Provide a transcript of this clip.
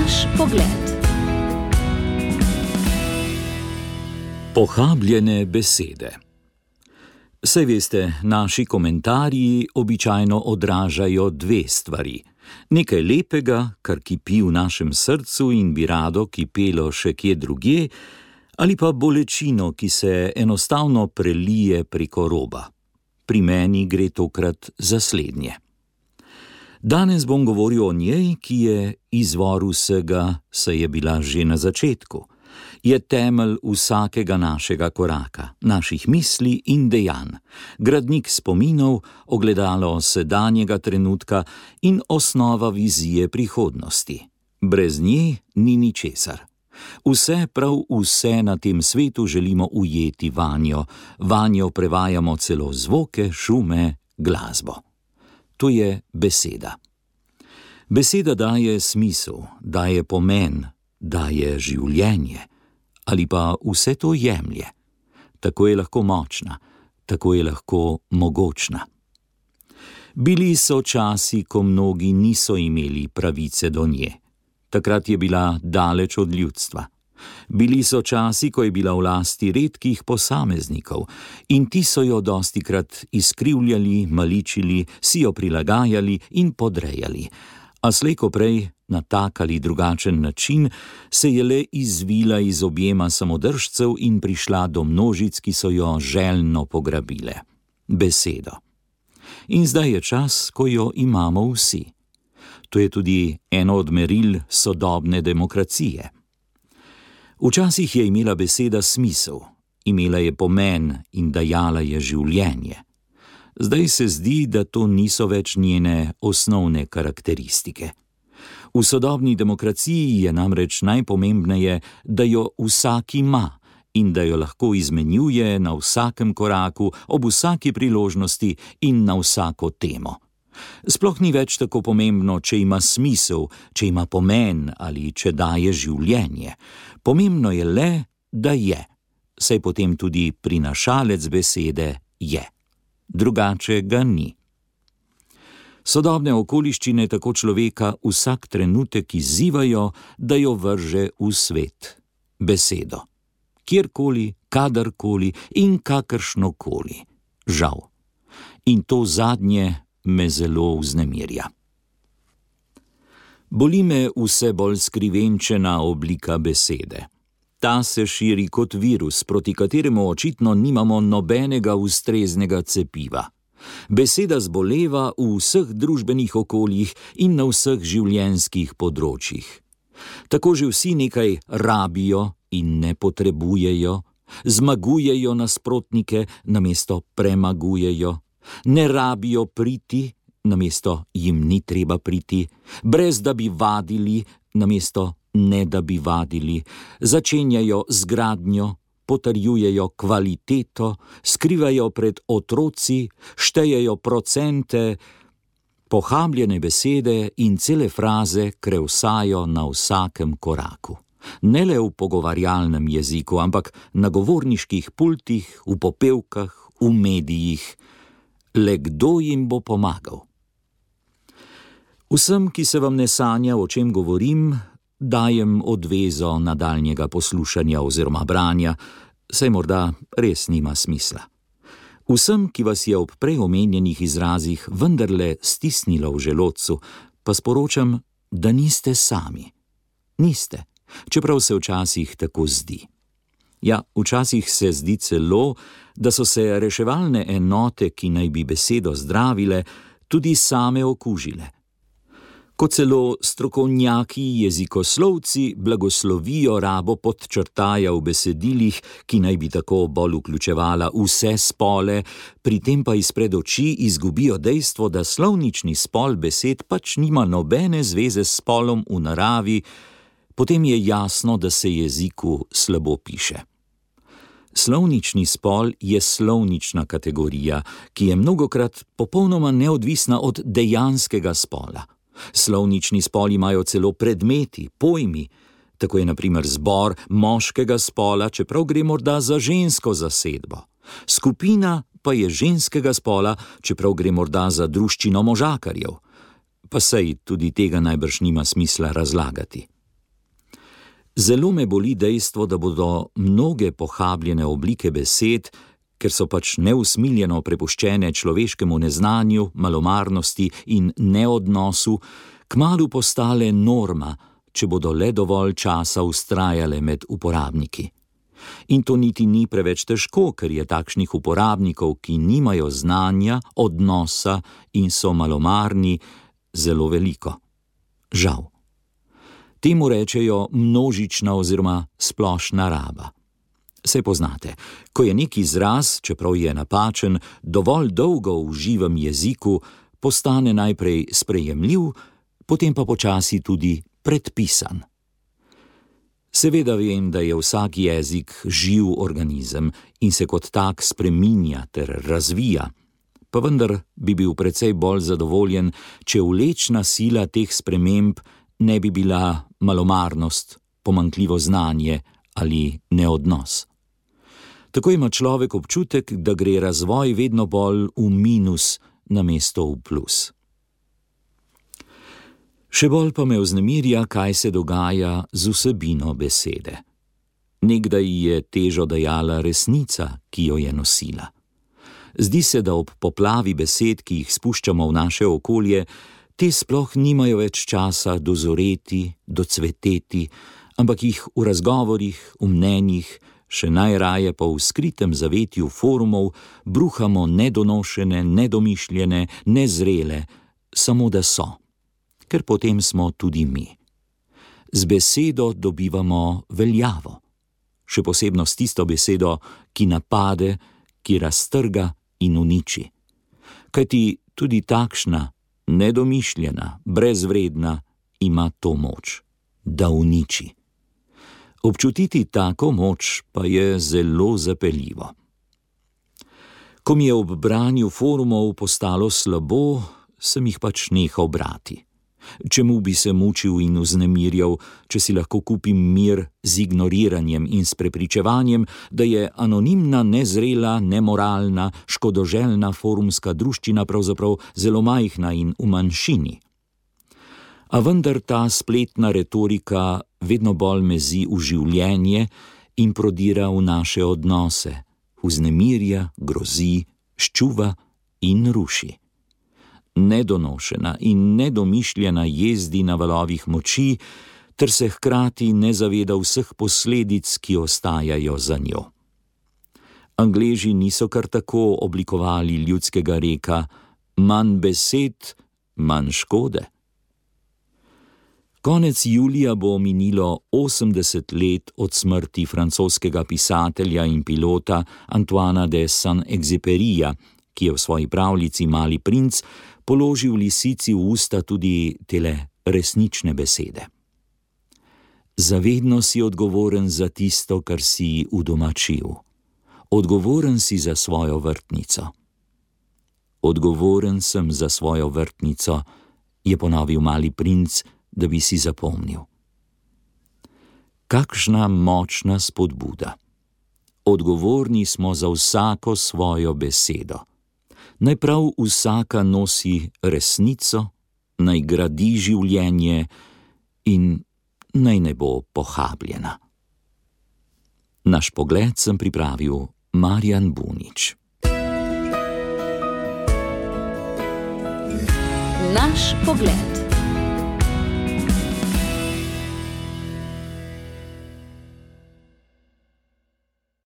Naš pogled. Pohabljene besede. Saj veste, naši komentarji običajno odražajo dve stvari. Nekaj lepega, kar kipi v našem srcu in bi rado kipelo še kje drugje, ali pa bolečino, ki se enostavno prelije preko roba. Pri meni gre tokrat za slednje. Danes bom govoril o njej, ki je izvor vsega, saj je bila že na začetku. Je temelj vsakega našega koraka, naših misli in dejanj, gradnik spominov, ogledalo sedanjega trenutka in osnova vizije prihodnosti. Brez nje ni ničesar. Vse, prav vse na tem svetu želimo ujeti vanjo, vanjo prevajamo celo zvoke, šume, glasbo. To je beseda. Beseda daje smisel, daje pomen, daje življenje. Ali pa vse to jemlje. Tako je lahko močna, tako je lahko mogočna. Bili so časi, ko mnogi niso imeli pravice do nje. Takrat je bila daleč od ljudstva. Bili so časi, ko je bila v lasti redkih posameznikov in ti so jo dostikrat izkrivljali, maličili, si jo prilagajali in podrejali. A slej ko prej, na tak ali drugačen način, se je le izvila iz objema samodržcev in prišla do množic, ki so jo željno pograbile. Besedo. In zdaj je čas, ko jo imamo vsi. To je tudi eno od meril sodobne demokracije. Včasih je imela beseda smisel, imela je pomen in dajala je življenje. Zdaj se zdi, da to niso več njene osnovne karakteristike. V sodobni demokraciji je namreč najpomembneje, da jo vsak ima in da jo lahko izmenjuje na vsakem koraku, ob vsaki priložnosti in na vsako temo. Sploh ni več tako pomembno, če ima smisel, če ima pomen ali če daje življenje. Pomembno je le, da je, saj potem tudi prinašalec besede je. Drugače ga ni. Sodobne okoliščine tako človeka vsak trenutek izzivajo, da jo vrže v svet. Besedo. Kjerkoli, kadarkoli in kakršnokoli. Žal. In to zadnje me zelo vznemirja. Boli me vse bolj skrivenčena oblika besede. Ta se širi kot virus, proti kateremu očitno nimamo nobenega ustreznega cepiva. Beseda zboleva v vseh družbenih okoljih in na vseh življenjskih področjih. Tako že vsi nekaj rabijo in ne potrebujejo, zmagujejo nasprotnike, namesto premagujejo, ne rabijo priti, namesto jim ni treba priti, brez da bi vadili, namesto ne da bi vadili, začenjajo z gradnjo, potrjujejo kvaliteto, skrivajo pred otroci, štejejo procente, pohabljene besede in cele fraze krevsajo na vsakem koraku. Ne le v pogovarjalnem jeziku, ampak na govorniških pultih, v popevkah, v medijih. Le kdo jim bo pomagal? Vsem, ki se vam ne sanja, o čem govorim, dajem odvezo nadaljnjega poslušanja oziroma branja, saj morda res nima smisla. Vsem, ki vas je ob prej omenjenih izrazih vendarle stisnilo v želodcu, pa sporočam, da niste sami. Niste, čeprav se včasih tako zdi. Ja, včasih se zdi celo, da so se reševalne enote, ki naj bi besedo zdravile, tudi same okužile. Ko celo strokovnjaki jezikoslovci blagoslovijo rabo podčrtaja v besedilih, ki naj bi tako bolj vključevala vse spole, pri tem pa izpred oči izgubijo dejstvo, da slovnični spol besed pač nima nobene zveze s spolom v naravi, potem je jasno, da se jeziku slabo piše. Slovnični spol je slovnična kategorija, ki je mnogokrat popolnoma neodvisna od dejanskega spola. Slovnični spol imajo celo predmeti, pojmi, tako je na primer zbor moškega spola, čeprav gre morda za žensko zasedbo. Skupina pa je ženskega spola, čeprav gre morda za druščino možakarjev. Pa sej tudi tega najbrž nima smisla razlagati. Zelo me boli dejstvo, da bodo mnoge pohabljene oblike besed, ker so pač neusmiljeno prepuščene človeškemu neznanju, malomarnosti in neodnosu, kmalu postale norma, če bodo le dovolj časa vztrajale med uporabniki. In to niti ni preveč težko, ker je takšnih uporabnikov, ki nimajo znanja, odnosa in so malomarni, zelo veliko. Žal. Temu rečejo množična oziroma splošna raba. Saj poznate, ko je nek izraz, čeprav je napačen, dovolj dolgo v živem jeziku, postane najprej sprejemljiv, potem pa počasi tudi predpisan. Seveda vem, da je vsak jezik živ organizem in se kot tak spreminja ter razvija, pa vendar bi bil precej bolj zadovoljen, če vlečna sila teh sprememb ne bi bila malomarnost, pomanjkljivo znanje ali neodnos. Tako ima človek občutek, da gre razvoj vedno bolj v minus namesto v plus. Še bolj pa me vznemirja, kaj se dogaja z vsebino besede. Nekdaj je težo dajala resnica, ki jo je nosila. Zdi se, da ob poplavi besed, ki jih spuščamo v naše okolje, te sploh nimajo več časa dozoreti, docveteti, ampak jih v razgovorih, v mnenjih, še najraje pa v skritem zavetju forumov bruhamo nedonošene, nedomišljene, nezrele, samo da so. Ker potem smo tudi mi. Z besedo dobivamo veljavo, še posebno s tisto besedo, ki napade, ki raztrga in uniči. Kajti tudi takšna, nedomišljena, brezvredna ima to moč, da uniči. Občutiti tako moč pa je zelo zapeljivo. Ko mi je ob branju forumov postalo slabo, sem jih pač nehal brati. Čemu bi se mučil in vznemirjal, če si lahko kupim mir z ignoriranjem in s prepričevanjem, da je anonimna, nezrela, nemoralna, škodoželjna forumska druščina pravzaprav zelo majhna in v manjšini. A vendar ta spletna retorika vedno bolj mezi v življenje in prodira v naše odnose, vznemirja, grozi, ščuva in ruši. Nedonošena in nedomišljena jezdi na valovih moči, ter se hkrati ne zaveda vseh posledic, ki ostajajo za njo. Angleži niso kar tako oblikovali ljudskega reka: manj besed, manj škode. Konec julija bo minilo 80 let od smrti francoskega pisatelja in pilota Antoina de Saint-Exupéryja, ki je v svoji pravljici Mali princ položil lisici v usta tudi tele resnične besede. Zavedno si odgovoren za tisto, kar si udomačil. Odgovoren si za svojo vrtnico. Odgovoren sem za svojo vrtnico, je ponovil Mali princ, da bi si zapomnil. Kakšna močna spodbuda. Odgovorni smo za vsako svojo besedo. Naj prav vsaka nosi resnico, naj gradi življenje in naj ne bo pohabljena. Naš pogled sem pripravil Marjan Bunič. Naš pogled.